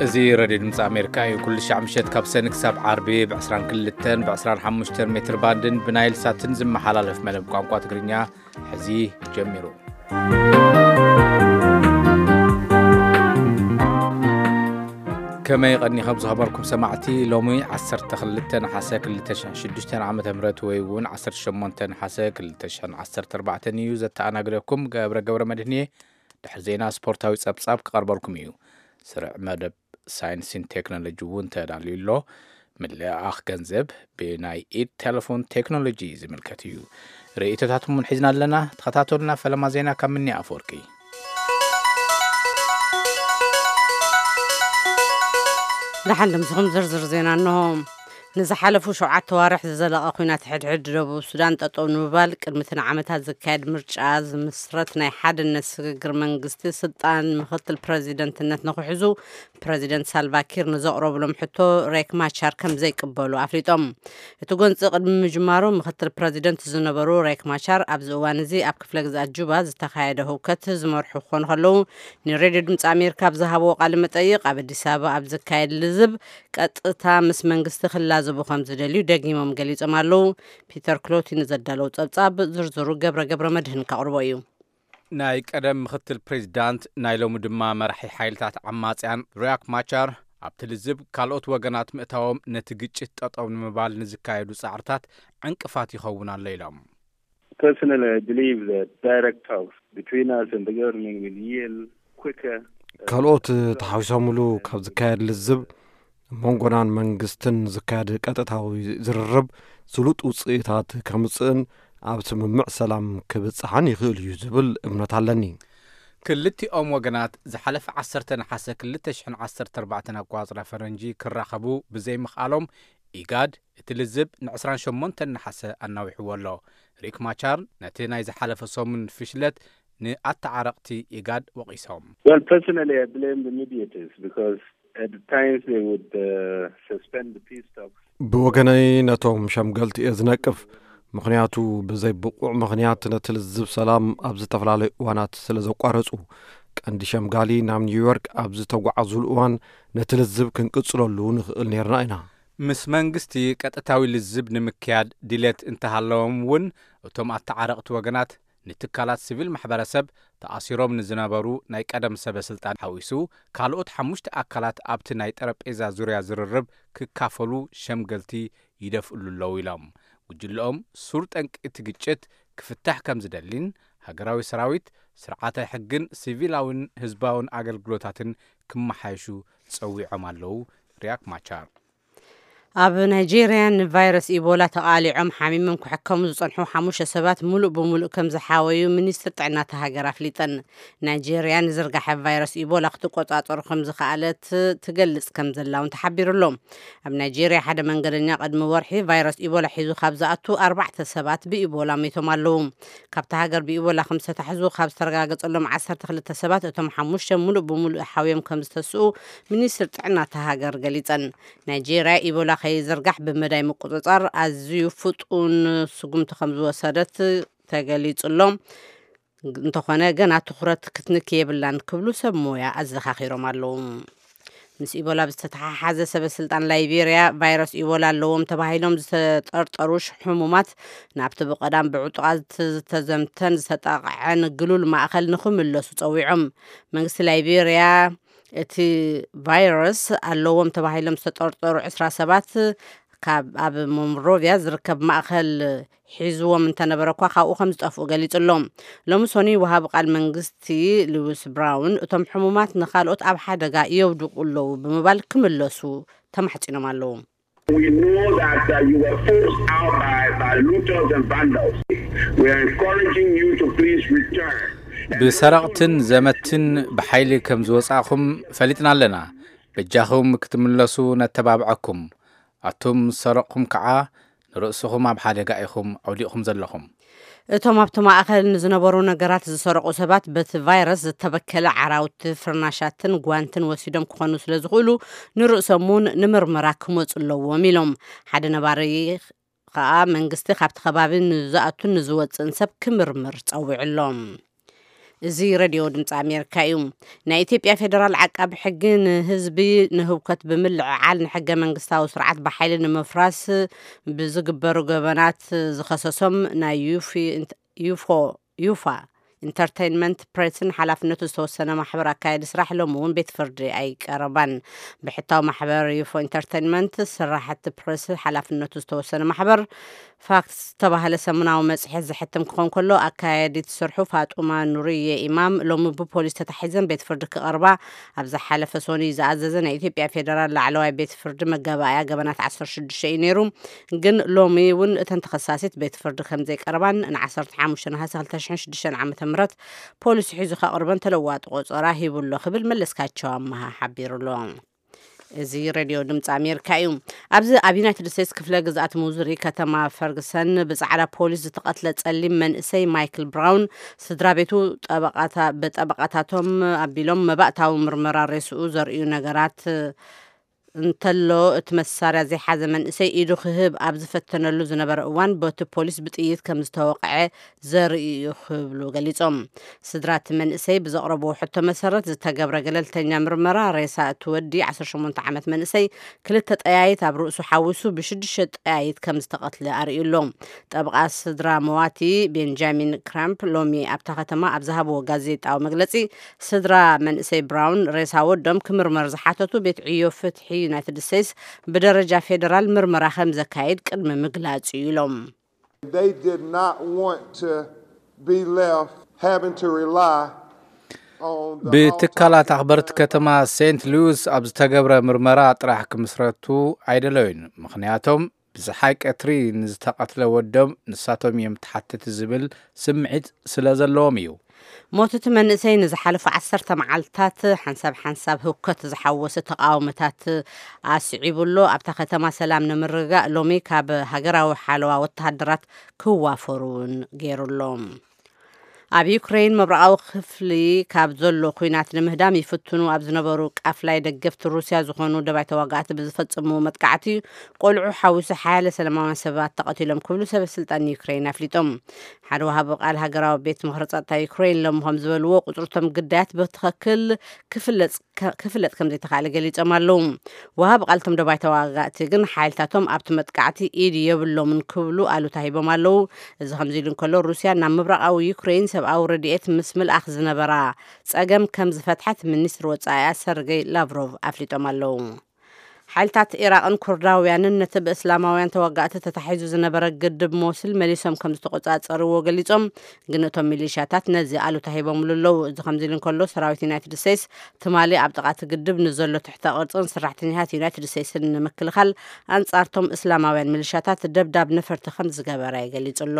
እዚ ሬድዮ ድምፂ ኣሜሪካ እዩ። ኩሉ ሻዕ ምሸት ካብ ሰኒ ክሳብ ዓርቢ ብ22ን ብ25 ሜትር ባንድን ብናይል ሳትን ዝመሓላለፍ መደብ ቋንቋ ትግርኛ ሕዚ ጀሚሩ። ከመይ ቀኒኹም ዝኸበርኩም ሰማዕቲ? ሎሚ 12 ነሓሰ 2006 ዓመተ ምህረት ወይ እውን 18 ነሓሰ 2014 እዩ። ዘተኣናግደኩም ገብረ ገብረ መድህን እየ። ድሕሪ ዜና ስፖርታዊ ጸብጻብ ክቐርበልኩም እዩ። ስርዕ መደብ ሳይንስን ቴክኖሎጂ እውን ተዳልዩ ኣሎ። ምልኣኽ ገንዘብ ብናይ ኢድ ቴሌፎን ቴክኖሎጂ ዝምልከት እዩ። ርእይቶታትኩም እውን ሒዝና ኣለና። ተኸታተሉና። ፈለማ ዜና ካብ ምኒ ኣፈወርቂ። ደሓን ድምስኹም ዝርዝር ዜና እንሆ። ንዝሓለፉ ሸውዓተ ዋርሕ ዝዘለቐ ኲናት ሕድሕድ ደቡብ ሱዳን ጠጠው ንምባል ቅድሚ እቲ ንዓመታት ዝካየድ ምርጫ ዝምስረት ናይ ሓድነት ስግግር መንግስቲ ስልጣን ምኽትል ፕረዚደንትነት ንኽሕዙ ፕረዚደንት ሳልቫ ኪር ንዘቕረቡሎም ሕቶ ሬክ ማቻር ከም ዘይቅበሉ ኣፍሊጦም። እቲ ጎንፂ ቅድሚ ምጅማሩ ምኽትል ፕረዚደንት ዝነበሩ ሬክ ማቻር ኣብዚ እዋን እዚ ኣብ ክፍለ ግዝኣት ጁባ ዝተኻየደ ህውከት ዝመርሑ ክኾኑ ከለዉ ንሬድዮ ድምፂ ኣሜሪካ ኣብ ዝሃብዎ ቃለ መጠይቕ ኣብ ኣዲስ ኣበባ ኣብ ዝካየድ ልዝብ ቀጥታ ምስ መንግስቲ ክላዘቡ ከም ዝደልዩ ደጊሞም ገሊጾም ኣለዉ። ፒተር ክሎቲ ንዘዳለው ጸብጻብ ዝርዝሩ ገብረ ገብረ መድህን ከቕርቦ እዩ። ናይ ቀደም ምኽትል ፕሬዚዳንት ናይ ሎሚ ድማ መራሒ ሓይልታት ዓማጽያን ሪያክ ማቻር ኣብቲ ልዝብ ካልኦት ወገናት ምእታዎም ነቲ ግጭት ጠጠው ንምባል ንዝካየዱ ጻዕርታት ዕንቅፋት ይኸውን ኣሎ ኢሎም። Personally, I believe that direct talks between us and the government will yield quicker. ካልኦት ተሓዊሶምሉ ካብ ዝካየድ ልዝብ መንጎናን መንግስትን ዝካየድ ቀጥታዊ ዝርርብ ስሉጥ ውፅኢታት ከምፅእን ኣብ ስምምዕ ሰላም ክብፅሓን ይኽእል እዩ ዝብል እምነት ኣለኒ። ክልቲኦም ወገናት ዝሓለፈ 10 ነሓሰ 2014 ኣቋፅራ ፈረንጂ ክራኸቡ ብዘይምኽኣሎም ኢጋድ እቲ ልዝብ ን28 ነሓሰ ኣናዊሕዎ ኣሎ። ሪክ ማቻር ነቲ ናይ ዝሓለፈ ሰሙን ፍሽለት ንኣተዓረቕቲ ኢጋድ ወቒሶም። Well, personally, I blame the mediators because at times they would uh, suspend the peace talks. ብወገነይ ነቶም ሸምገልቲ እየ ዝነቅፍ። ምኽንያቱ ብዘይ ብቑዕ ምኽንያት ነቲ ልዝብ ሰላም ኣብ ዝተፈላለዩ እዋናት ስለ ዘቋረጹ። ቀንዲ ሸምጋሊ ናብ ኒውዮርክ ኣብ ዝተጓዓዙሉ እዋን ነቲ ልዝብ ክንቅጽለሉ ንኽእል ነይርና ኢና። ምስ መንግስቲ ቀጥታዊ ልዝብ ንምክያድ ድሌት እንተሃለዎም እውን እቶም ኣተዓረቕቲ ወገናት ንትካላት ሲቪል ማሕበረሰብ ተኣሲሮም ንዝነበሩ ናይ ቀደም ሰበ ስልጣን ሓዊሱ ካልኦት ሓሙሽተ ኣካላት ኣብቲ ናይ ጠረጴዛ ዙርያ ዝርርብ ክካፈሉ ሸምገልቲ ይደፍእሉ ኣለዉ ኢሎም። ጉጅለኦም ሱር ጠንቂ እቲ ግጭት ክፍታሕ ከም ዝደሊን ሃገራዊ ሰራዊት፣ ስርዓተ ሕግን ሲቪላውን ህዝባውን ኣገልግሎታትን ክመሓየሹ ጸዊዖም ኣለዉ። ሪያክ ማቻር ኣብ ናይጄርያ ንቫይረስ ኢቦላ ተቓሊዖም ሓሚሞም ክሕከሙ ዝጸንሑ ሓሙሽተ ሰባት ሙሉእ ብሙሉእ ከም ዝሓወዩ ሚኒስትር ጥዕና እታ ሃገር ኣፍሊጠን። ናይጄርያ ንዝርጋሐ ቫይረስ ኢቦላ ክትቆጻጸሩ ከም ዝኸኣለት ትገልጽ ከም ዘላ እውን ተሓቢሩ ኣሎ። ኣብ ናይጄርያ ሓደ መንገደኛ ቅድሚ ወርሒ ቫይረስ ኢቦላ ሒዙ ካብ ዝኣቱ ኣርባዕተ ሰባት ብኢቦላ ሞይቶም ኣለዉ። ካብታ ሃገር ብኢቦላ ከም ዝተታሕዙ ካብ ዝተረጋገጸሎም ዓሰርተ ክልተ ሰባት እቶም ሓሙሽተ ሙሉእ ብሙሉእ ሓውዮም ከም ዝተስኡ ሚኒስትር ጥዕና እታ ሃገር ገሊጸን። ናይጄርያ ኢቦላ ከይዝርጋሕ ብምዳይ ምቁጽጻር ኣዝዩ ፍጡን ስጉምቲ ከም ዝወሰደት ተገሊጹ ኣሎ። እንተኾነ ገና ትኹረት ክትንክ የብላን ክብሉ ሰብ ሞያ ኣዘኻኺሮም ኣለዉ። ምስ ኢቦላ ብዝተተሓሓዘ ሰበ ስልጣን ላይቤርያ ቫይረስ ኢቦላ ኣለዎም ተባሂሎም ዝተጠርጠሩ ሽ- ሕሙማት ናብቲ ብቐዳም ብዕጡቓት ዝተዘምተን ዝተጠቕዐን ግሉል ማእኸል ንኽምለሱ ጸዊዖም። መንግስቲ ላይቤርያ እቲ ቫይረስ ኣለዎም ተባሂሎም ዝተጠርጠሩ ዕስራ ሰባት ካብ ኣብ ሞንሮቪያ ዝርከብ ማእኸል ሒዝዎም እንተነበረ እኳ ካብኡ ከም ዝጠፍኡ ገሊጹ ኣሎ። ሎሚ ሶኑይ ወሃቢ ቃል መንግስቲ ሉዊስ ብራውን እቶም ሕሙማት ንኻልኦት ኣብ ሓደጋ የውድቑ ኣለዉ ብምባል ክምለሱ ተማሕጺኖም ኣለዉ። We know that uh, you were forced out by, by looters and vandals. We are encouraging you to please return. ብሰረቕትን ዘመትን ብሓይሊ ከም ዝወጻእኹም ፈሊጥና ኣለና። በጃኹም ክትምለሱ ነተባብዐኩም። ኣቱም ዝሰረቕኹም ከዓ ንርእስኹም ኣብ ሓደጋ ኢኹም ኣውዲቕኹም ዘለኹም። እቶም ኣብቲ ማእኸል ንዝነበሩ ነገራት ዝሰረቑ ሰባት በቲ ቫይረስ ዝተበከለ ዓራውቲ፣ ፍርናሻትን ጓንትን ወሲዶም ክኾኑ ስለ ዝኽእሉ ንርእሶም እውን ንምርመራ ክመፁ ኣለዎም ኢሎም። ሓደ ነባሪ ከዓ መንግስቲ ካብቲ ከባቢ ንዝኣቱን ንዝወፅእን ሰብ ክምርምር ፀዊዑ ኣሎ። እዚ ሬድዮ ድምፂ ኣሜሪካ እዩ። ናይ ኢትዮጵያ ፌዴራል ዓቃቢ ሕጊ ንህዝቢ ንህውከት ብምልዕዓል ንሕገ መንግስታዊ ስርዓት ብሓይሊ ንምፍራስ ብዝግበሩ ገበናት ዝኸሰሶም ናይ ዩፊ- ዩፎ- ዩፋ ኢንተርቴይንመንት ፕሬስን ሓላፍነቱ ዝተወሰነ ማሕበር ኣካየዲ ስራሕ ሎም እውን ቤት ፍርዲ ኣይቀረባን። ብሕታዊ ማሕበር ዩፎ ኢንተርቴይንመንት ስራሕቲ ፕሬስ ሓላፍነቱ ዝተወሰነ ማሕበር ፋክስ ዝተባህለ ሰሙናዊ መጽሔት ዘሕትም ክኾን ከሎ፣ ኣካያዲት ስርሑ ፋጡማ ኑርየ ኢማም ሎሚ ብፖሊስ ተታሒዘን ቤት ፍርዲ ክቐርባ ኣብ ዝሓለፈ ሶኒ ዝኣዘዘ ናይ ኢትዮጵያ ፌደራል ላዕለዋይ ቤት ፍርዲ መጋባእያ ገበናት ዓሰርተ ሽዱሽተ እዩ ነይሩ። ግን ሎሚ እውን እተን ተኸሳሲት ቤት ፍርዲ ከም ዘይቀርባን ን ዓሰርተ ሓሙሽተ ነሓሰ ክልተ ሽሕን ሽዱሽተን ዓመተ ምህረት ፖሊስ ሒዙ ከቕርበን ተለዋጢ ቆጸራ ሂቡ ኣሎ ክብል መለስካቸው ኣመሃ ሓቢሩ ኣሎ። እዚ ሬድዮ ድምፂ ኣሜሪካ እዩ። ኣብዚ ኣብ ዩናይትድ ስቴትስ ክፍለ ግዝኣት ሙዙሪ ከተማ ፈርግሰን ብፃዕዳ ፖሊስ ዝተቐትለ ጸሊም መንእሰይ ማይክል ብራውን ስድራ ቤቱ ጠበቓታ- ብጠበቓታቶም ኣቢሎም መባእታዊ ምርመራ ሬስኡ ዘርእዩ ነገራት እንተሎ፣ እቲ መሳርያ ዘይሓዘ መንእሰይ ኢዱ ክህብ ኣብ ዝፈተነሉ ዝነበረ እዋን በቲ ፖሊስ ብጥይት ከም ዝተወቕዐ ዘርኢ እዩ ክብሉ ገሊጾም። ስድራ እቲ መንእሰይ ብዘቕረብዎ ሕቶ መሰረት ዝተገብረ ገለልተኛ ምርመራ ሬሳ እቲ ወዲ ዓሰርተ ሸሞንተ ዓመት መንእሰይ ክልተ ጠያይት ኣብ ርእሱ ሓዊሱ ብሽዱሽተ ጠያይት ከም ዝተቐትለ ኣርእዩ ኣሎ። ጠበቓ ስድራ መዋቲ ቤንጃሚን ክራምፕ ሎሚ ኣብታ ከተማ ኣብ ዝሃብዎ ጋዜጣዊ መግለጺ፣ ስድራ መንእሰይ ብራውን ሬሳ ወዶም ክምርመር ዝሓተቱ ቤት ዕዮ ፍትሒ ዩናይትድ ስቴትስ ብደረጃ ፌደራል ምርመራ ከም ዘካይድ ቅድሚ ምግላጹ እዩ ኢሎም። They did not want to be left having to rely on the ብትካላት ኣኽበርቲ ከተማ ሴንት ሉዊስ ኣብ ዝተገብረ ምርመራ ጥራሕ ክምስረቱ ኣይደለዩን። ምኽንያቶም ብዝሓይ ቀትሪ ንዝተቐትለ ወዶም ንሳቶም እዮም ተሓተቲ ዝብል ስምዒት ስለ ዘለዎም እዩ። ሞት እቲ መንእሰይ ንዝሓለፉ ዓሰርተ መዓልታት ሓንሳብ ሓንሳብ ህውከት ዝሓወሰ ተቃውሞታት ኣስዒቡ ኣሎ። ኣብታ ከተማ ሰላም ንምርግጋእ ሎሚ ካብ ሃገራዊ ሓለዋ ወተሃደራት ክዋፈሩ እውን ገይሩ ኣሎ። ኣብ ዩክሬን ምብራቓዊ ክፍሊ ካብ ዘሎ ኲናት ንምህዳም ይፍትኑ ኣብ ዝነበሩ ቃፍላይ ደገፍቲ ሩስያ ዝኾኑ ደባይ ተዋጋእቲ ብዝፈጸምዎ መጥቃዕቲ ቆልዑ ሓዊሱ ሓያለ ሰላማውያን ሰባት ተቐቲሎም ክብሉ ሰበ ስልጣን ዩክሬን ኣፍሊጦም። ሓደ ወሃቢ ቃል ሃገራዊ ቤት ምኽሪ ጸጥታ ዩክሬን ሎሚ ከም ዝበልዎ ቁጽርቶም ግዳያት ብትኸክል ክፍለጽ ክፍለጥ ከም ዘይተኻእለ ገሊጾም ኣለዉ። ወሃቢ ቃልቶም ደባይ ተዋጋእቲ ግን ሓይልታቶም ኣብቲ መጥቃዕቲ ኢድ የብሎምን ክብሉ ኣሉታ ሂቦም ኣለዉ። እዚ ከምዚ ኢሉ እንከሎ ሩስያ ናብ ምብራቓዊ ዩክሬን ሰብኣዊ ረድኤት ምስ ምልኣኽ ዝነበራ ጸገም ከም ዝፈትሐት ሚኒስትሪ ወጻኢኣ ሰርገይ ላቭሮቭ ኣፍሊጦም ኣለዉ። ሓይልታት ኢራቕን ኩርዳውያንን ነቲ ብእስላማውያን ተዋጋእቲ ተታሒዙ ዝነበረ ግድብ ሞስል መሊሶም ከም ዝተቆጻጸርዎ ገሊጾም፣ ግን እቶም ሚሊሻታት ነዚ ኣሉታ ሂቦምሉ ኣለዉ። እዚ ከምዚ ኢሉ እንከሎ ሰራዊት ዩናይትድ ስቴትስ ትማሊ ኣብ ጥቓ እቲ ግድብ ንዘሎ ትሕተ ቅርጽን ሰራሕተኛታት ዩናይትድ ስቴትስን ንምክልኻል ኣንጻርቶም እስላማውያን ሚሊሻታት ደብዳብ ነፈርቲ ከም ዝገበረ ገሊጹ ኣሎ።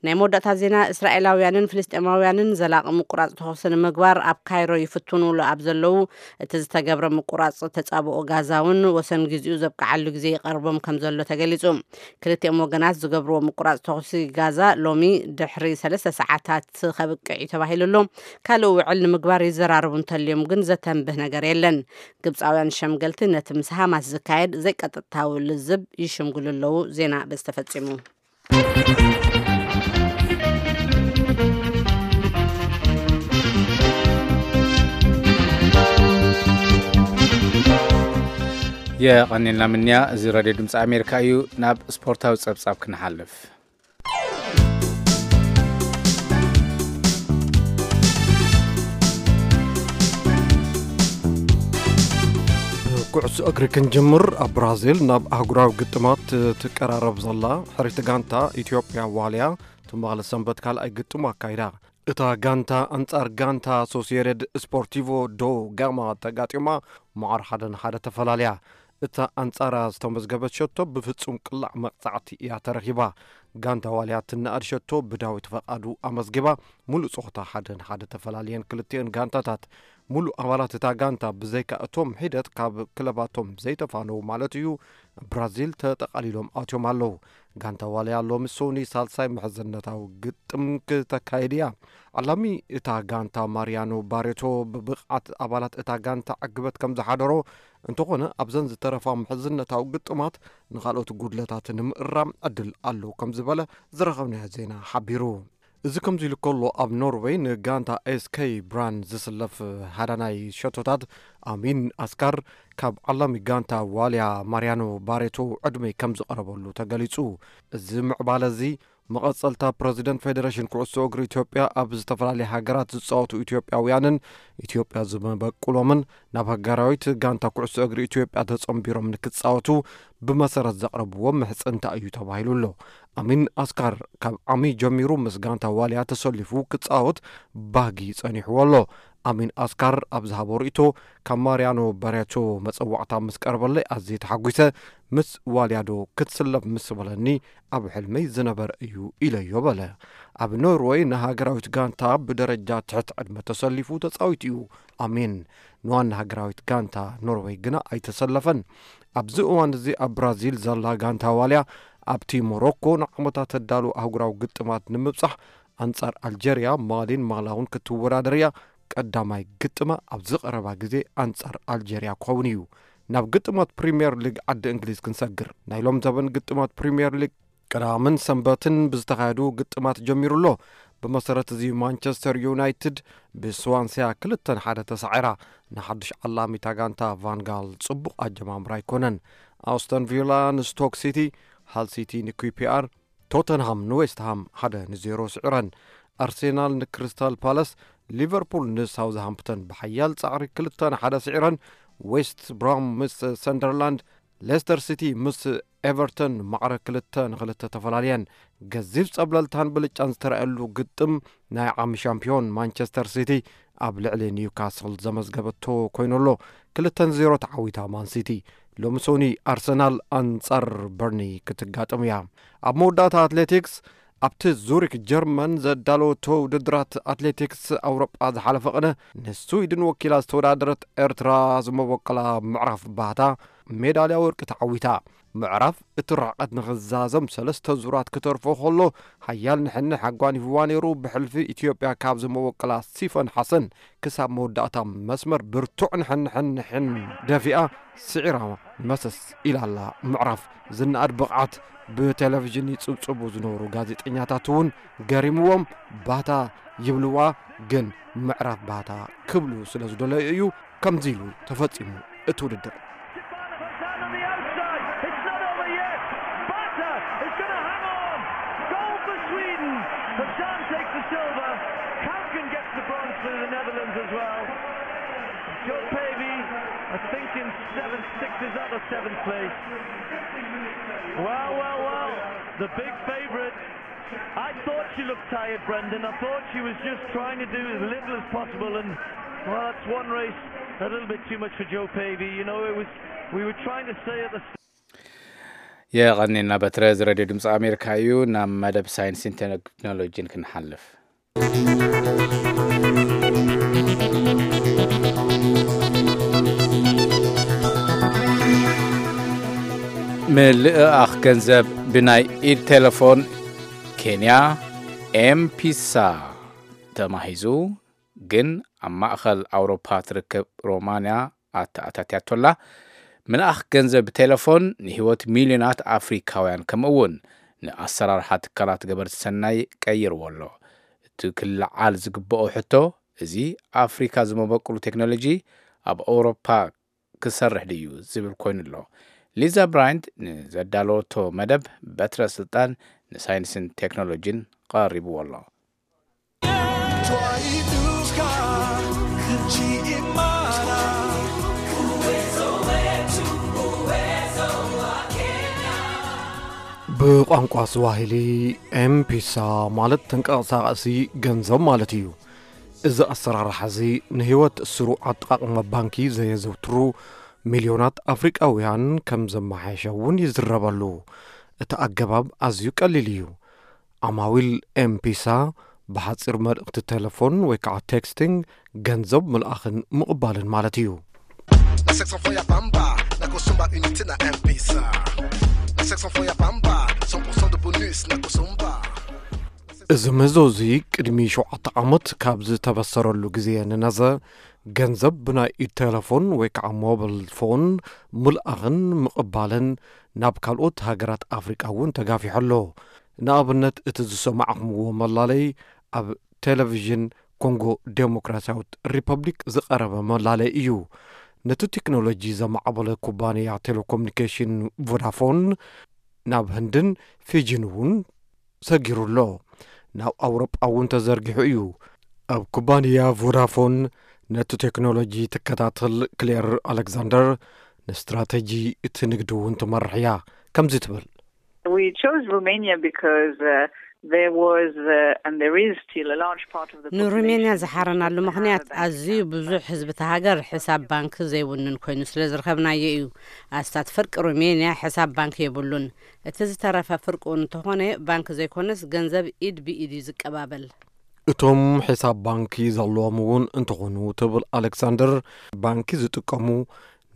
ናይ መወዳእታ ዜና። እስራኤላውያንን ፍልስጤማውያንን ዘላቒ ምቁራጽ ተኹሲ ንምግባር ኣብ ካይሮ ይፍትኑሉ ኣብ ዘለዉ፣ እቲ ዝተገብረ ምቁራጽ ተጻብኦ ጋዛ እውን ወሰን ግዜኡ ዘብቅዓሉ ግዜ ይቐርቦም ከም ዘሎ ተገሊጹ። ክልቲኦም ወገናት ዝገብርዎ ምቁራጽ ተኹሲ ጋዛ ሎሚ ድሕሪ ሰለስተ ሰዓታት ከብቅዕ እዩ ተባሂሉ ኣሎ። ካልእ ውዕል ንምግባር ይዘራረቡ እንተልዮም ግን ዘተንብህ ነገር የለን። ግብጻውያን ሸምገልቲ ነቲ ምስ ሃማስ ዝካየድ ዘይቀጥታዊ ልዝብ ይሽምግሉ ኣለዉ። ዜና በዚ ተፈጺሙ። የቐኒልና ምንያ። እዚ ሬድዮ ድምፂ ኣሜሪካ እዩ። ናብ ስፖርታዊ ፀብፃብ ክንሓልፍ። ኩዕሶ እግሪ ክንጅምር፣ ኣብ ብራዚል ናብ ኣህጉራዊ ግጥማት ትቀራረብ ዘላ ሕርይቲ ጋንታ ኢትዮጵያ ዋልያ ትማሊ ሰንበት ካልኣይ ግጥሙ ኣካይዳ። እታ ጋንታ ኣንጻር ጋንታ ሶሲየደድ ስፖርቲቮ ዶ ጋማ ተጋጢማ መዓር ሓደ ንሓደ ተፈላልያ። እታ ኣንጻራ ዝተመዝገበት ሸቶ ብፍጹም ቅላዕ መቕጻዕቲ እያ ተረኺባ። ጋንታ ዋልያ ትነኣድ ሸቶ ብዳዊት ፈቓዱ ኣመዝጊባ፣ ሙሉእ ጸወታ ሓደ ንሓደ ተፈላልየን ክልቲኤን ጋንታታት። ሙሉእ ኣባላት እታ ጋንታ ብዘይካ እቶም ሒደት ካብ ክለባቶም ዘይተፋነዉ ማለት እዩ፣ ብራዚል ተጠቓሊሎም ኣትዮም ኣለዉ። ጋንታ ዋልያ ሎሚ ሶኒ ሳልሳይ ምሕዝነታዊ ግጥም ክተካይድ እያ። ዓላሚ እታ ጋንታ ማርያኖ ባሬቶ ብብቕዓት ኣባላት እታ ጋንታ ዕግበት ከም ዝሓደሮ፣ እንተኾነ ኣብዘን ዝተረፋ ምሕዝነታዊ ግጥማት ንኻልኦት ጉድለታት ንምእራም ዕድል ኣለዉ ከም ዝበለ ዝረኸብናዮ ዜና ሓቢሩ። እዚ ከምዚ ኢሉ ከሎ፣ ኣብ ኖርወይ ንጋንታ ኤስከይ ብራን ዝስለፍ ሃዳናይ ሸቶታት ኣሚን ኣስካር ካብ ዓላሚ ጋንታ ዋልያ ማርያኖ ባሬቶ ዕድመ ከም ዝቐረበሉ ተገሊጹ። እዚ ምዕባለ እዚ መቐጸልታ ፕረዚደንት ፌደሬሽን ኩዕሶ እግሪ ኢትዮጵያ ኣብ ዝተፈላለያ ሃገራት ዝጻወቱ ኢትዮጵያውያንን ኢትዮጵያ ዝመበቁሎምን ናብ ሃገራዊት ጋንታ ኩዕሶ እግሪ ኢትዮጵያ ተጸንቢሮም ንክጻወቱ ብመሰረት ዘቕረብዎ ምሕጽንታ እዩ ተባሂሉ ኣሎ። ኣሚን ኣስካር ካብ ዓሚ ጀሚሩ ምስ ጋንታ ዋልያ ተሰሊፉ ክጻወት ባህጊ ጸኒሕዎ ኣሎ። ኣሚን ኣስካር ኣብ ዝሃቦ ርእይቶ፣ ካብ ማርያኖ ባሬቶ መጸዋዕታ ምስ ቀረበለይ ኣዝየ ተሓጒሰ፣ ምስ ዋልያዶ ክትስለፍ ምስ በለኒ ኣብ ሕልመይ ዝነበረ እዩ ኢለዮ በለ። ኣብ ኖርወይ ንሃገራዊት ጋንታ ብደረጃ ትሕቲ ዕድመ ተሰሊፉ ተጻዊቱ እዩ። ኣሚን ንዋና ሃገራዊት ጋንታ ኖርወይ ግና ኣይተሰለፈን። ኣብዚ እዋን እዚ ኣብ ብራዚል ዘላ ጋንታ ዋልያ ኣብቲ ሞሮኮ ንዓመታት ተዳሉ ኣህጉራዊ ግጥማት ንምብጻሕ ኣንጻር ኣልጀርያ፣ ማሊን ማላውን ክትወዳደር እያ። ቀዳማይ ግጥማ ኣብዚ ቀረባ ግዜ ኣንጻር ኣልጀርያ ክኸውን እዩ። ናብ ግጥማት ፕሪምየር ሊግ ዓዲ እንግሊዝ ክንሰግር። ናይ ሎም ዘበን ግጥማት ፕሪምየር ሊግ ቀዳምን ሰንበትን ብዝተኻየዱ ግጥማት ጀሚሩ ኣሎ። ብመሰረት እዚ ማንቸስተር ዩናይትድ ብስዋንስያ ክልተ ንሓደ ተሳዒራ ንሓድሽ ዓላሚታ ጋንታ ቫንጋል ጽቡቕ ኣጀማምራ ኣይኮነን። ኣውስተን ቪላ ንስቶክ ሲቲ፣ ሃል ሲቲ ንኩፒኣር፣ ቶተንሃም ንዌስትሃም ሓደ ንዜሮ ስዒረን። ኣርሴናል ንክሪስታል ፓለስ፣ ሊቨርፑል ንሳውዝሃምፕተን ብሓያል ጻዕሪ ክልተ ንሓደ ስዒረን። ዌስት ብራም ምስ ሰንደርላንድ፣ ሌስተር ሲቲ ምስ ኤቨርተን ማዕረ ክልተ ንክልተ ተፈላልየን። ገዚፍ ጸብለልታን ብልጫን ዝተረኣየሉ ግጥም ናይ ዓሚ ሻምፒዮን ማንቸስተር ሲቲ ኣብ ልዕሊ ኒውካስል ዘመዝገበቶ ኮይኑ ኣሎ። ክልተ ንዜሮ ተዓዊታ ማን ሲቲ። ሎሚ ሶኒ ኣርሰናል ኣንጻር በርኒ ክትጋጥም እያ። ኣብ መወዳእታ ኣትሌቲክስ፣ ኣብቲ ዙሪክ ጀርመን ዘዳለወቶ ውድድራት ኣትሌቲክስ ኣውሮጳ ዝሓለፈ ቅነ ንስዊድን ወኪላ ዝተወዳደረት ኤርትራ ዝመበቆላ ምዕራፍ ባህታ ሜዳልያ ወርቂ ተዓዊታ። ምዕራፍ እቲ ርሕቀት ንኽዛዘም ሰለስተ ዙራት ክተርፎ ከሎ፣ ሓያል ንሕንሕ ኣጓኒፍዋ ነይሩ። ብሕልፊ ኢትዮጵያ ካብ ዝመበቆላ ሲፈን ሓሰን ክሳብ መወዳእታ መስመር ብርቱዕ ንሕንሕንሕን ደፊኣ ስዒራ መሰስ ኢላ ኣላ። ምዕራፍ ዝነኣድ ብቕዓት ብቴሌቪዥን ይጽብጽቡ ዝነበሩ ጋዜጠኛታት እውን ገሪምዎም፣ ባታ ይብልዋ፣ ግን ምዕራፍ ባታ ክብሉ ስለ ዝደለዩ እዩ ከምዚ ኢሉ ተፈጺሙ እቲ ውድድር። Joe Pavey, I think in seven six is that the seventh place. Well, well, well, the big favourite. I thought she looked tired, Brendan. I thought she was just trying to do as little as possible, and well, that's one race a little bit too much for Joe Pavey. You know, it was we were trying to say at the የቐኔና በትረ። እዚ ሬድዮ ድምፂ ኣሜሪካ እዩ። ናብ መደብ ሳይንስን ቴክኖሎጂን ክንሓልፍ። ምልእኣኽ ገንዘብ ብናይ ኢድ ቴሌፎን ኬንያ ኤምፒሳ ተማሂዙ፣ ግን ኣብ ማእኸል ኣውሮፓ ትርከብ ሮማንያ ኣተኣታትያቶላ። ምልኣኽ ገንዘብ ብቴሌፎን ንህይወት ሚልዮናት ኣፍሪካውያን ከምኡ እውን ንኣሰራርሓ ትካላት ገበርቲ ሰናይ ቀይርዎ ኣሎ። እቲ ክለዓል ዝግብኦ ሕቶ፣ እዚ ኣፍሪካ ዝመበቅሉ ቴክኖሎጂ ኣብ ኣውሮፓ ክሰርሕ ድዩ ዝብል ኮይኑ ኣሎ። ሊዛ ብራይንት ንዘዳለወቶ መደብ በትረ ስልጣን ንሳይንስን ቴክኖሎጂን ቀሪብዎ ኣሎ። ብቋንቋ ስዋሂሊ ኤምፒሳ ማለት ተንቀሳቃሲ ገንዘብ ማለት እዩ። እዚ ኣሰራርሓ እዚ ንህይወት ስሩዕ ኣጠቓቕማ ባንኪ ዘየዘውትሩ ሚልዮናት ኣፍሪቃውያን ከም ዘመሓየሸ እውን ይዝረበሉ። እቲ ኣገባብ ኣዝዩ ቀሊል እዩ። ዓማዊል ኤምፒሳ ብሓጺር መልእኽቲ ቴሌፎን ወይ ከዓ ቴክስቲንግ ገንዘብ ምልኣኽን ምቕባልን ማለት እዩ። Na section fo ya bamba na kosomba unité na M P S. Na section fo ya bamba cent pour cent de bonus na kosomba. እዚ ምህዞ እዚ ቅድሚ ሸውዓተ ዓመት ካብ ዝተበሰረሉ ግዜ ንነዘ ገንዘብ ብናይ ኢድ ቴሌፎን ወይ ከዓ ሞብል ፎን ምልኣኽን ምቕባልን ናብ ካልኦት ሃገራት ኣፍሪቃ እውን ተጋፊሑ ኣሎ። ንኣብነት እቲ ዝሰማዕኹምዎ መላለይ ኣብ ቴሌቪዥን ኮንጎ ዴሞክራሲያዊት ሪፐብሊክ ዝቐረበ መላለይ እዩ። ነቲ ቴክኖሎጂ ዘማዕበለ ኩባንያ ቴሌኮሙኒኬሽን ቮዳፎን ናብ ህንድን ፊጂን እውን ሰጊሩ ኣሎ። ናብ ኣውሮጳ እውን ተዘርጊሑ እዩ። ኣብ ኩባንያ ቮዳፎን ነቲ ቴክኖሎጂ ትከታተል ክሌር ኣሌክዛንደር፣ ንስትራተጂ እቲ ንግዲ እውን ትመርሕ እያ። ከምዚ ትብል። We chose Romania because uh, there was uh, and there is still a large part of the ንሩሜንያ population ዝሓረናሉ which doesn't ምኽንያት have a bank ኣዝዩ account. ብዙሕ ህዝቢ እቲ ሃገር ሕሳብ ባንክ ዘይውንን ኮይኑ ስለ ዝረኸብናዮ እዩ። ኣስታት ፍርቂ ሩሜንያ ሕሳብ ባንክ የብሉን። እቲ ዝተረፈ ፍርቁ እንተኾነ ባንክ ዘይኮነስ ገንዘብ ኢድ ብኢድ እዩ ዝቀባበል። እቶም ሕሳብ ባንኪ ዘለዎም እውን እንተኾኑ ትብል ኣሌክሳንደር፣ ባንኪ ዝጥቀሙ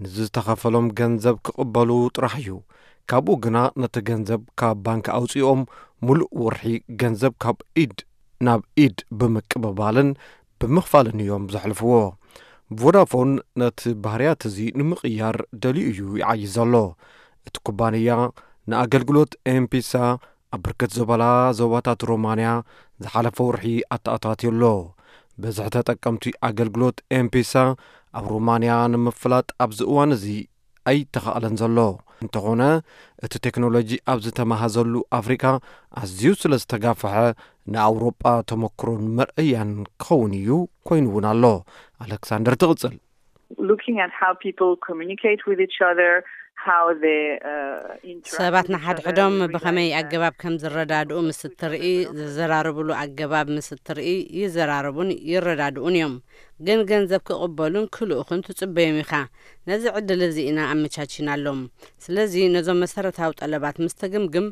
ንዝተኸፈሎም ገንዘብ ክቕበሉ ጥራሕ እዩ። ካብኡ ግና ነቲ ገንዘብ ካብ ባንኪ ኣውፂኦም ሙሉእ ወርሒ ገንዘብ ካብ ኢድ ናብ ኢድ ብምቅብባልን ብምኽፋልን እዮም ዘሕልፍዎ። ቮዳፎን ነቲ ባህርያት እዚ ንምቕያር ደልዩ እዩ ይዓይሽ ዘሎ። እቲ ኩባንያ ንኣገልግሎት ኤምፒሳ ኣብ ብርክት ዝበላ ዞባታት ሮማንያ ዝሓለፈ ወርሒ ኣተኣታትዩ ኣሎ። ብዝሒ ተጠቀምቲ ኣገልግሎት ኤምፒሳ ኣብ ሮማንያ ንምፍላጥ ኣብዚ እዋን እዚ ኣይተኻእለን ዘሎ። እንተኾነ እቲ ቴክኖሎጂ ኣብ ዝተመሃዘሉ ኣፍሪካ ኣዝዩ ስለ ዝተጋፈሐ ንኣውሮጳ ተመክሮን መርኣያን ክኸውን እዩ ኮይኑ እውን ኣሎ። ኣሌክሳንደር ትቕፅል። Looking at how people communicate with each other, how they uh, interact ሰባት with each other, ንሓድሕዶም we ብኸመይ realize that ኣገባብ ከም ዝረዳድኡ ምስ እትርኢ፣ ዝዘራርብሉ ኣገባብ ምስ እትርኢ፣ ይዘራረቡን ይረዳድኡን እዮም። ግን ገንዘብ ክቕበሉን ክልእኹን ትጽበዮም ኢኻ። ነዚ ዕድል እዚ ኢና ኣመቻቺናሎም። ስለዚ ነዞም መሰረታዊ ጠለባት ምስ ተግምግም፣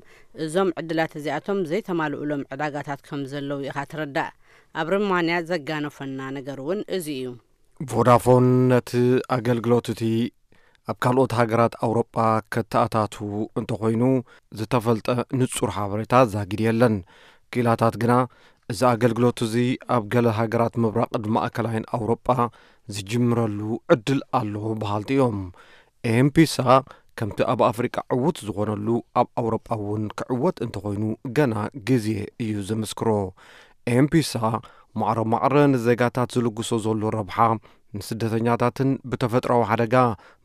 እዞም ዕድላት እዚኣቶም ዘይተማልኡሎም ዕዳጋታት ከም ዘለዉ ኢኻ ትርዳእ። ኣብ ርማንያ ዘጋነፈና ነገር እውን እዚ እዩ። ቮዳፎን ነቲ ኣገልግሎት እቲ ኣብ ካልኦት ሃገራት ኣውሮጳ ከተኣታቱ እንተኾይኑ ዝተፈልጠ ንጹር ሓበሬታ ዛጊድ የለን። ክኢላታት ግና እዚ ኣገልግሎት እዚ ኣብ ገለ ሃገራት ምብራቕን ማእከላይን ኣውሮጳ ዝጅምረሉ ዕድል ኣሎ በሃልቲ እዮም። ኤምፒሳ ከምቲ ኣብ ኣፍሪቃ ዕዉት ዝኾነሉ ኣብ ኣውሮጳ እውን ክዕወት እንተኾይኑ ገና ግዜ እዩ ዘመስክሮ። ኤምፒሳ ማዕረ ማዕረ ንዜጋታት ዝልግሶ ዘሎ ረብሓ ንስደተኛታትን ብተፈጥራዊ ሓደጋ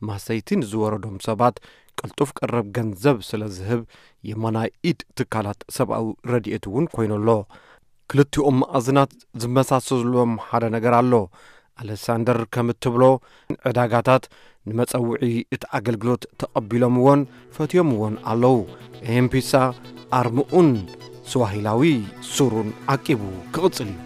ማሰይቲ ንዝወረዶም ሰባት ቅልጡፍ ቀረብ ገንዘብ ስለ ዝህብ የማናይ ኢድ ትካላት ሰብኣዊ ረድኤት እውን ኮይኑ ኣሎ። ክልቲኦም መኣዝናት ዝመሳሰሎም ሓደ ነገር ኣሎ። ኣሌክሳንደር ከም እትብሎ ዕዳጋታት ንመጸውዒ እቲ ኣገልግሎት ተቐቢሎምዎን ፈትዮምዎን ኣለዉ። ኤምፒሳ ኣርምኡን ስዋሂላዊ ሱሩን ዓቂቡ ክቕጽል እዩ።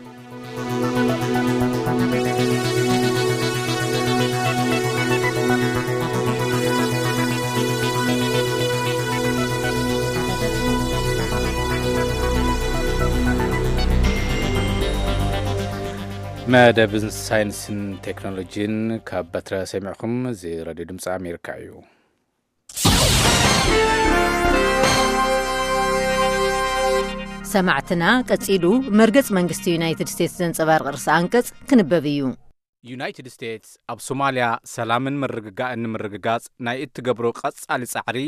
መደብ ሳይንስን ቴክኖሎጂን ካብ በትረ ሰሚዕኹም። እዚ ሬድዮ ድምፂ ኣሜሪካ እዩ። ሰማዕትና፣ ቀጺሉ መርገጽ መንግስቲ ዩናይትድ ስቴትስ ዘንጸባርቕ ርእሰ ኣንቀጽ ክንበብ እዩ። ዩናይትድ ስቴትስ ኣብ ሶማልያ ሰላምን ምርግጋእን ንምርግጋጽ ናይ እትገብሮ ቀጻሊ ጻዕሪ፣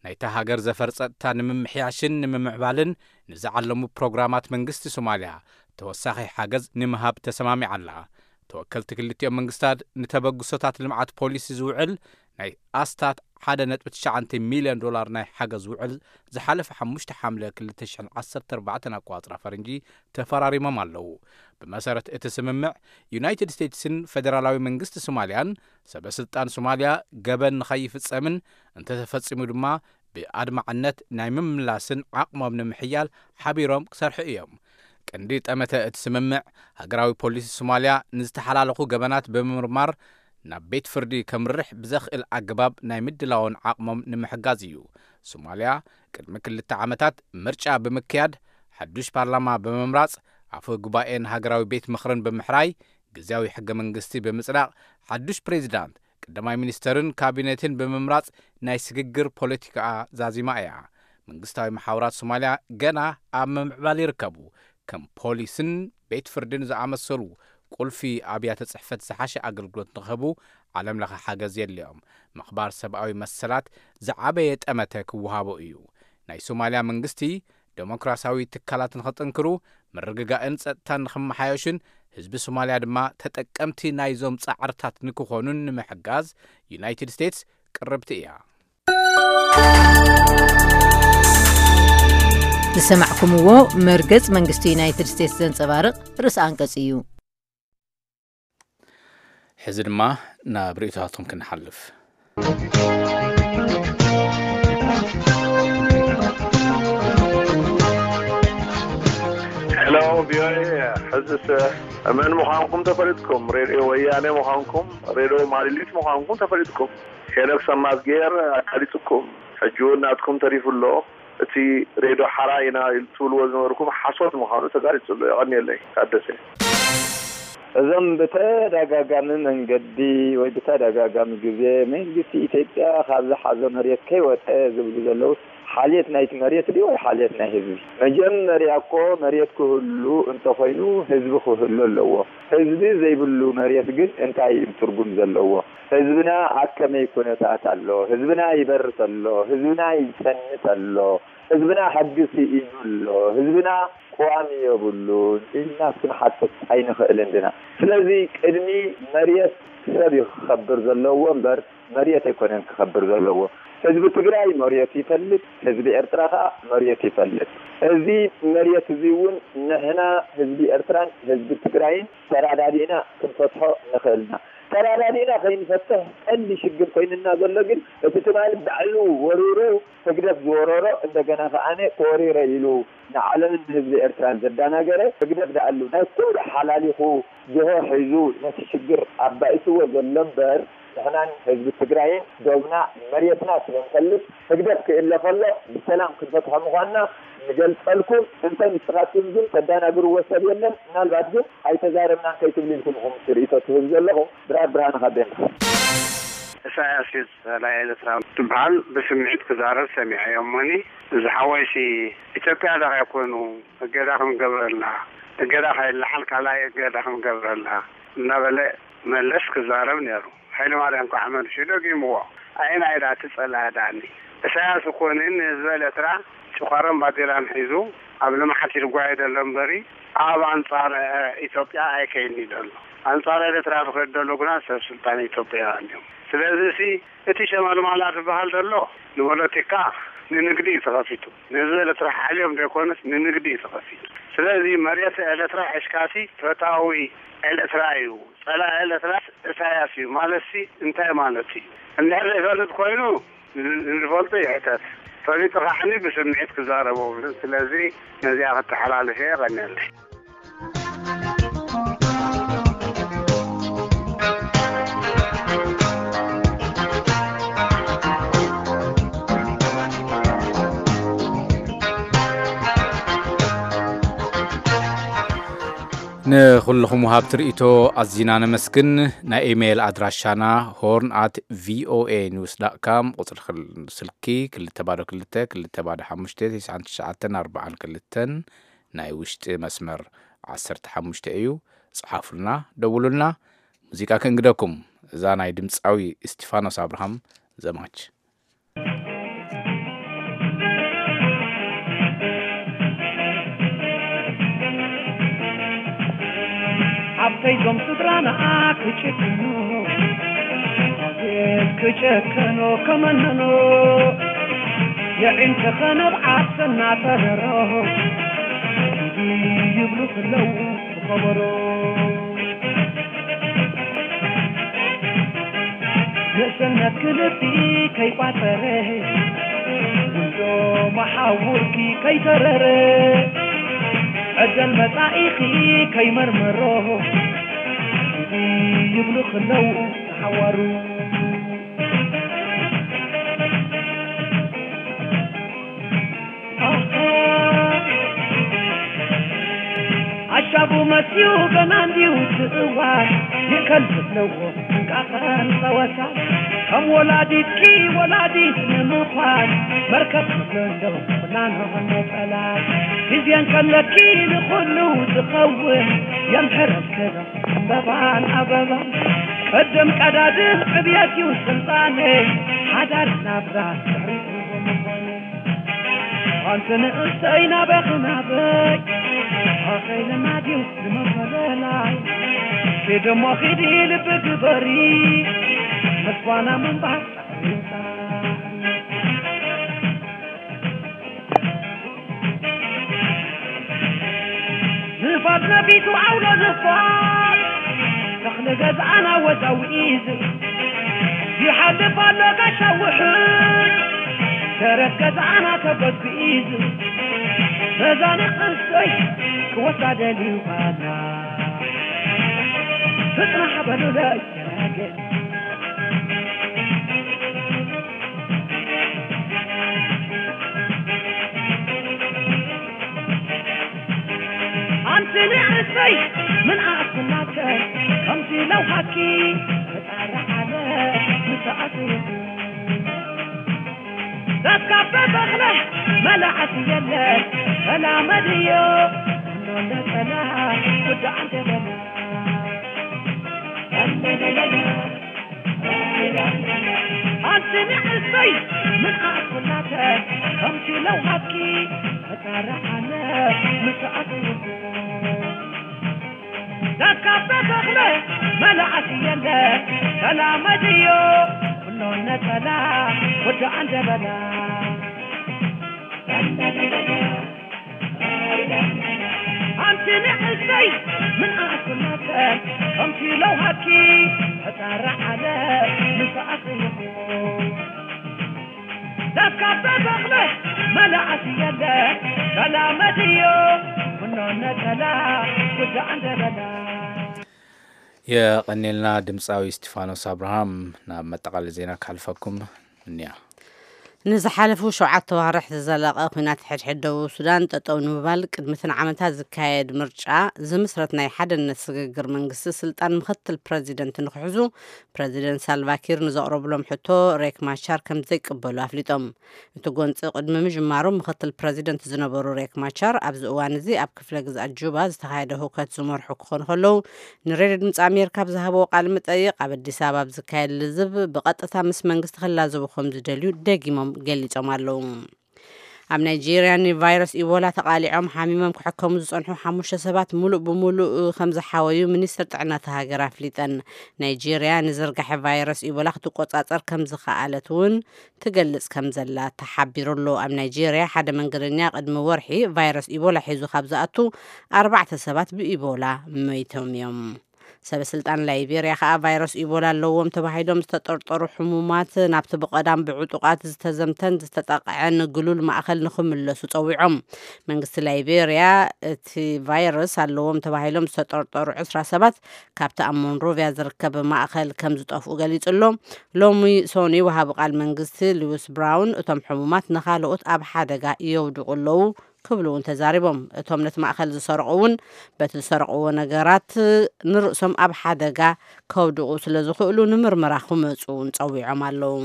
ናይታ ሃገር ዘፈር ጸጥታ ንምምሕያሽን ንምምዕባልን ንዝዓለሙ ፕሮግራማት መንግስቲ ሶማልያ ተወሳኺ ሓገዝ ንምሃብ ተሰማሚዓ ኣላ። ተወከልቲ ክልቲኦም መንግስታት ንተበግሶታት ልምዓት ፖሊሲ ዝውዕል ናይ ኣስታት ሓደ ነጥቢ ትሽዓተ ሚልዮን ዶላር ናይ ሓገዝ ውዕል ዝሓለፈ ሓሙሽተ ሓምለ ክልተ ሽሕን ዓሰርተ ኣርባዕተን ኣቆጻጽራ ፈረንጂ ተፈራሪሞም ኣለዉ። ብመሰረት እቲ ስምምዕ፣ ዩናይትድ ስቴትስን ፌደራላዊ መንግስቲ ሶማልያን ሰበ ስልጣን ሶማልያ ገበን ንኸይፍጸምን እንተተፈጺሙ ድማ ብኣድማዕነት ናይ ምምላስን ዓቕሞም ንምሕያል ሓቢሮም ክሰርሑ እዮም። ቀንዲ ጠመተ እቲ ስምምዕ፣ ሃገራዊ ፖሊሲ ሶማልያ ንዝተሓላለኹ ገበናት ብምምርማር ናብ ቤት ፍርዲ ከምርሕ ብዘኽእል ኣገባብ ናይ ምድላውን ዓቕሞም ንምሕጋዝ እዩ። ሶማልያ ቅድሚ ክልተ ዓመታት ምርጫ ብምክያድ፣ ሓዱሽ ፓርላማ ብምምራጽ፣ ኣፈ ጉባኤን ሃገራዊ ቤት ምኽርን ብምሕራይ፣ ግዝያዊ ሕገ መንግስቲ ብምጽዳቕ፣ ሓዱሽ ፕሬዚዳንት፣ ቀዳማይ ሚኒስተርን ካቢኔትን ብምምራጽ ናይ ስግግር ፖለቲካኣ ዛዚማ እያ። መንግስታዊ መሓውራት ሶማልያ ገና ኣብ ምምዕባል ይርከቡ። ከም ፖሊስን ቤት ፍርድን ዝኣመሰሉ ቁልፊ ኣብያተ ጽሕፈት ዝሓሸ ኣገልግሎት ንኽህቡ ዓለም ለኸ ሓገዝ የድልዮም። ምኽባር ሰብኣዊ መሰላት ዝዓበየ ጠመተ ክወሃቦ እዩ። ናይ ሶማልያ መንግስቲ ደሞክራሲያዊ ትካላት ንኸጥንክሩ፣ ምርግጋእን ጸጥታን ንኽመሓየሹን ህዝቢ ሶማልያ ድማ ተጠቀምቲ ናይዞም ጻዕርታት ንክኾኑን ንምሕጋዝ ዩናይትድ ስቴትስ ቅርብቲ እያ። ዝሰማዕኩምዎ መርገጽ መንግስቲ ዩናይትድ ስቴትስ ዘንጸባርቕ ርእሰ ኣንቀጽ እዩ። ሕዚ ድማ ናብ ርእይቶታትኩም ክንሓልፍ። ሄሎ፣ ቪኦኤ። ሕዝስ መን ምዃንኩም ተፈሊጥኩም፣ ሬድዮ ወያነ ምዃንኩም፣ ሬድዮ ማሊሊት ምዃንኩም ተፈሊጥኩም። ሄኖክ ሰማዝጌር ኣጋሊጹኩም። ሕጂ እውን ናትኩም ተሪፉ ኣሎ። እቲ ሬድዮ ሓራ ኢና ትብልዎ ዝነበርኩም ሓሶት ምዃኑ ተጋሊጹ ኣሎ። የቐንየለይ። ታደሰ። እዞም ብተደጋጋሚ መንገዲ ወይ ብተደጋጋሚ ግዜ መንግስቲ ኢትዮጵያ ካብ ዝሓዞ መሬት ከይወፀ ዝብሉ ዘለውስ ሓልየት ናይቲ መሬት ድዩ ወይ ሓልየት ናይ ህዝቢ? መጀመርያ እኮ መሬት ክህሉ እንተኾይኑ ህዝቢ ክህሉ ኣለዎ። ህዝቢ ዘይብሉ መሬት ግን እንታይ እዩ ትርጉም ዘለዎ? ህዝብና ኣብ ከመይ ኩነታት ኣሎ? ህዝብና ይበርስ ኣሎ? ህዝብና ይፀንት ኣሎ? ህዝብና ሕጊ ስኢኑ ኣሎ? ህዝብና ቅዋም የብሉን ኢልና ክንሓትት ኣይንኽእልን ዲና? ስለዚ ቅድሚ መሬት ሰብ እዩ ክኸብር ዘለዎ እምበር መሬት ኣይኮነን ክኸብር ዘለዎ። ህዝቢ ትግራይ መሬት ይፈልጥ፣ ህዝቢ ኤርትራ ከዓ መሬት ይፈልጥ። እዚ መሬት እዚ እውን ንሕና ህዝቢ ኤርትራን ህዝቢ ትግራይን ተራዳዲእና ክንፈትሖ ንኽእል ኢና። ተራዳዲእና ከይንፈትሕ ቀንዲ ሽግር ኮይንና ዘሎ ግን እቲ ትማሊ ባዕሉ ወሪሩ ህግደፍ ዝወረሮ እንደገና ከዓነ ተወሪረ ኢሉ ንዓለምን ንህዝቢ ኤርትራን ዘዳናገረ ህግደፍ ደኣሉ ናይ ኩሉ ሓላሊኹ ጆሆ ሒዙ ነቲ ሽግር ኣባኢስዎ ዘሎ እምበር ንሕናን ህዝቢ ትግራይን ዶብና መሬትና ስለ ንፈልጥ ህግደፍ ክእለ ከሎ ብሰላም ክንፈትሖ ምዃንና ንገልጸልኩም። እንተ ንስኻትኩም ግን ተዳናግርዎ ሰብ የለን። ምናልባት ግን ኣይተዛረብናን ከይትብሉ ኢልኩም ኢኹም ርእይቶ ትህብ ዘለኹም። ብርሃን ብርሃነ ካብ ቤንዳ። ኢሳያስ እዩ ጸላኢ ኤርትራ ትበሃል ብስምዒት ክዛረብ ሰሚዐዮ እሞኒ እዚ ሓወይሲ ኢትዮጵያ ዳኻ ይኮኑ እገዳ ክንገብረልና እገዳ ከይለዓል ካልኣይ እገዳ ክንገብረልና እናበለ መለስ ክዛረብ ነይሩ። ሃይለማርያም ከዓ መልሱ ደጊምዎ። ኣየናይ ዳ እቲ ጸላኢ ዳኒ? ኢሳያስ እኮ ን ንህዝቢ ኤርትራ ጭዃሮን ባንዴራን ሒዙ ኣብ ልምዓት እዩ ዝጓየ ዘሎ እምበሪ ኣብ ኣንጻር ኢትዮጵያ ኣይከይድን እዩ ዘሎ። ኣንጻር ኤርትራ ዝኸይድ ዘሎ ግና ሰብ ስልጣን ኢትዮጵያውያን እዮም። ስለዚ ሲ እቲ ሸመልማላ ዝበሃል ዘሎ ንፖለቲካ ንንግዲ እዩ ተኸፊቱ። ንህዝቢ ኤርትራ ሓልዮም ዘይኮነስ ንንግዲ እዩ ተኸፊቱ። ስለዚ መሬት ኤርትራ ሒዝካሲ ፈታዊ ኤርትራ እዩ፣ ጸላኢ ኤርትራ ኢሳያስ እዩ ማለትሲ እንታይ ማለት እዩ? እንድሕር ዘይፈልጥ ኮይኑ ንዝፈልጦ ይሕተት፣ ፈሊጡ ከዓኒ ብስምዒት ክዛረብ የብሉን። ስለዚ ነዚኣ ክተሓላልፍ እየ። የቐንየለይ። ንኹልኹም ወሃብቲ ርእይቶ ኣዚና ነመስግን። ናይ ኢሜይል ኣድራሻና ሆርን ኣት ቪኦኤ ኒውስ ዳት ካም፣ ቁጽሪ ክል- ስልኪ ክልተ ባዶ ክልተ ክልተ ባዶ ሓሙሽተ ተስዓን ትሽዓተን ኣርባዓን ክልተን፣ ናይ ውሽጢ መስመር ዓሰርተ ሓሙሽተ እዩ። ጽሓፉልና፣ ደውሉልና። ሙዚቃ ከእንግደኩም፣ እዛ ናይ ድምጻዊ እስቲፋኖስ ኣብርሃም ዘማች። ሓፍተይ ዞም ስድራና ክጭክኑ፣ ኣቤት ክጨከኖ ከመነኖ፣ የዒንተ ኸነብ ዓሰና ተረሮ፣ ይብሉ ክለው ብኸበሮ። ንእስነት ክልቢ ከይቋጸረ፣ ጉንዶ መሓውርኪ ከይተረረ፣ ዕደል መጻኢኺ ከይመርመሮ፣ ይብሉ ክለው ንሓዋሩ። ኣሻቡ መፅዩ ገና እንዲዩ እቲ እዋን፣ ይእከል ዘለዎ ጥንቃቐን ፀወታ። ከም ወላዲትኪ ወላዲት ንምዃን፣ መርከብ ክብሎ እንዶ ፍናኖ ነፀላ። ግዜ እንከለኪ ንኹሉ ዝኸውን፣ የምሕረልክን ዕምበባን ኣበባን። ቅድም ቀዳድም ዕብየት እዩ ስልጣነይ፣ ሓዳር ናብራ ድሕሪኡ ብምዃኑ። ኣንቲ ንእሰይ ናበኺ ናበይ፣ ከይልና ድዩ ንመፈለላይ? ኪድ እሞ ኪዲ ልቢ ግበሪ፣ ምስ ጓና ምንባር ጻዕሪ። ንፋስ ነፊሱ ዓውሎ ንፋስ፣ ተኽሊ ገዛና ወዛዊዙ፣ ይሓልፍ ኣሎ ጋሻ ውሕድ፣ ደረት ገዛና ተጎዝጒዙ። በዛ ንእሽተይ ክወስዳ ደልዩ ባና፣ ፍጥና ሓበሉለይ ገናግል። ኣንቲ ንእሽተይ ምን ኣእኩላከ፣ ከምቲ ለውሃኪ ተጣርዓለ ምሰኣቱ። ዳስካበ በኽለ መላእቲ የለ፣ ሰላመድዮ እንዶ ነጠላ፣ ጉዳ ኣንተ በላ። ኣንቲ ንእሽተይ ምን ኣእኩላከ፣ ከምቲ ለውሃኪ ተጣርዓለ ምሰኣቱ። ዳስካበ በኽለ መላእቲ የለ፣ ሰላመድዮ እንዶ ነጠላ፣ ጉዳ ኣንተ በላ። ኣንቲ ንእሽተይ ምን ኣእኩላከ፣ ከምቲ ለውሃኪ ተጣርዓለ ምሰኣቱ። ዳስካበ በኽለ መላእቲ የለ፣ ሰላመድዮ እንዶ ነጠላ፣ ጉዳ ኣንተ በላ። የቐኔልና ድምፃዊ እስጢፋኖስ ኣብርሃም። ናብ መጠቓለሊ ዜና ክሓልፈኩም እንያ። ንዝሓለፉ ሸውዓተ ዋርሕ ዝዘለቐ ኲናት ሕድሕድ ደቡብ ሱዳን ጠጠው ንምባል ቅድሚ እተን ዓመታት ዝካየድ ምርጫ ዝምስረት ናይ ሓድነት ስግግር መንግስቲ ስልጣን ምኽትል ፕረዚደንት ንክሕዙ ፕረዚደንት ሳልቫኪር ንዘቕረብሎም ሕቶ ሬክ ማቻር ከም ዘይቅበሉ ኣፍሊጦም። እቲ ጎንፂ ቅድሚ ምጅማሩ ምኽትል ፕረዚደንት ዝነበሩ ሬክ ማቻር ኣብዚ እዋን እዚ ኣብ ክፍለ ግዝኣት ጁባ ዝተኻየደ ህውከት ዝመርሑ ክኾኑ ከለዉ ንሬድዮ ድምፂ ኣሜሪካ ኣብ ዝሃብዎ ቃል መጠይቕ ኣብ ኣዲስ ኣበባ ኣብ ዝካየድ ልዝብ ብቐጥታ ምስ መንግስቲ ክላዘቡ ከም ዝደልዩ ደጊሞም ገሊጾም ኣለዉ። ኣብ ናይጄርያ ንቫይረስ ኢቦላ ተቓሊዖም ሓሚሞም ክሕከሙ ዝጸንሑ ሓሙሽተ ሰባት ሙሉእ ብሙሉእ ከም ዝሓወዩ ሚኒስትር ጥዕና እታ ሃገር ኣፍሊጠን። ናይጄርያ ንዝርጋሐ ቫይረስ ኢቦላ ክትቆጻጸር ከም ዝኸኣለት እውን ትገልጽ ከም ዘላ ተሓቢሩ ኣሎ። ኣብ ናይጄርያ ሓደ መንገደኛ ቅድሚ ወርሒ ቫይረስ ኢቦላ ሒዙ ካብ ዝኣቱ ኣርባዕተ ሰባት ብኢቦላ መይቶም እዮም። ሰበ ስልጣን ላይቤርያ ከኣ ቫይረስ ኢቦላ ኣለዎም ተባሂሎም ዝተጠርጠሩ ሕሙማት ናብቲ ብቐዳም ብዕጡቓት ዝተዘምተን ዝተጠቕዐን ግሉል ማእኸል ንኽምለሱ ጸዊዖም። መንግስቲ ላይቤርያ እቲ ቫይረስ ኣለዎም ተባሂሎም ዝተጠርጠሩ ዕስራ ሰባት ካብቲ ኣብ ሞንሮቪያ ዝርከብ ማእኸል ከም ዝጠፍኡ ገሊጹ ኣሎ። ሎሚ ሶኒ ወሃቢ ቃል መንግስቲ ሉዊስ ብራውን እቶም ሕሙማት ንኻልኦት ኣብ ሓደጋ የውድቑ ኣለዉ ክብሉ እውን ተዛሪቦም። እቶም ነቲ ማእኸል ዝሰረቑ እውን በቲ ዝሰረቕዎ ነገራት ንርእሶም ኣብ ሓደጋ ከውድቑ ስለ ዝኽእሉ ንምርመራ ክመፁ እውን ፀዊዖም ኣለዉ።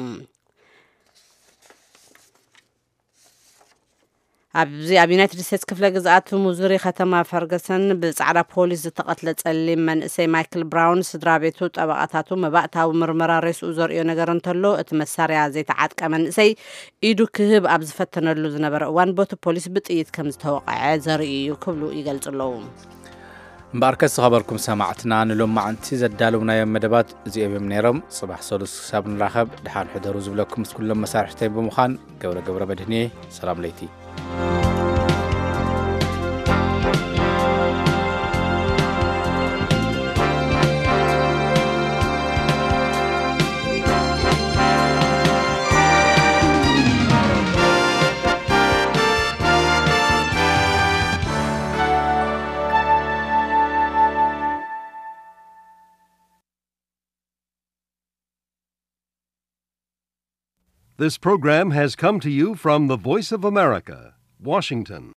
ኣብዚ ኣብ ዩናይትድ ስቴትስ ክፍለ ግዝኣት ሙዙሪ ከተማ ፈርገሰን ብፃዕዳ ፖሊስ ዝተቐትለ ፀሊም መንእሰይ ማይክል ብራውን ስድራ ቤቱ፣ ጠበቓታቱ መባእታዊ ምርመራ ሬስኡ ዘርእዮ ነገር እንተሎ እቲ መሳርያ ዘይተዓጥቀ መንእሰይ ኢዱ ክህብ ኣብ ዝፈተነሉ ዝነበረ እዋን ቦቲ ፖሊስ ብጥይት ከም ዝተወቕዐ ዘርኢ እዩ ክብሉ ይገልጹ ኣለዉ። እምበኣርከስ ዝኸበርኩም ሰማዕትና ንሎማዓንቲ ዘዳለውናዮም መደባት እዚኦም እዮም ነይሮም። ጽባሕ ሰሉስ ክሳብ ንራኸብ ደሓን ሕደሩ ዝብለኩም ምስ ኩሎም መሳርሕተይ ብምዃን ገብረ ገብረ መድህንየ ሰላም ለይቲ። This program has come to you from the Voice of America, Washington.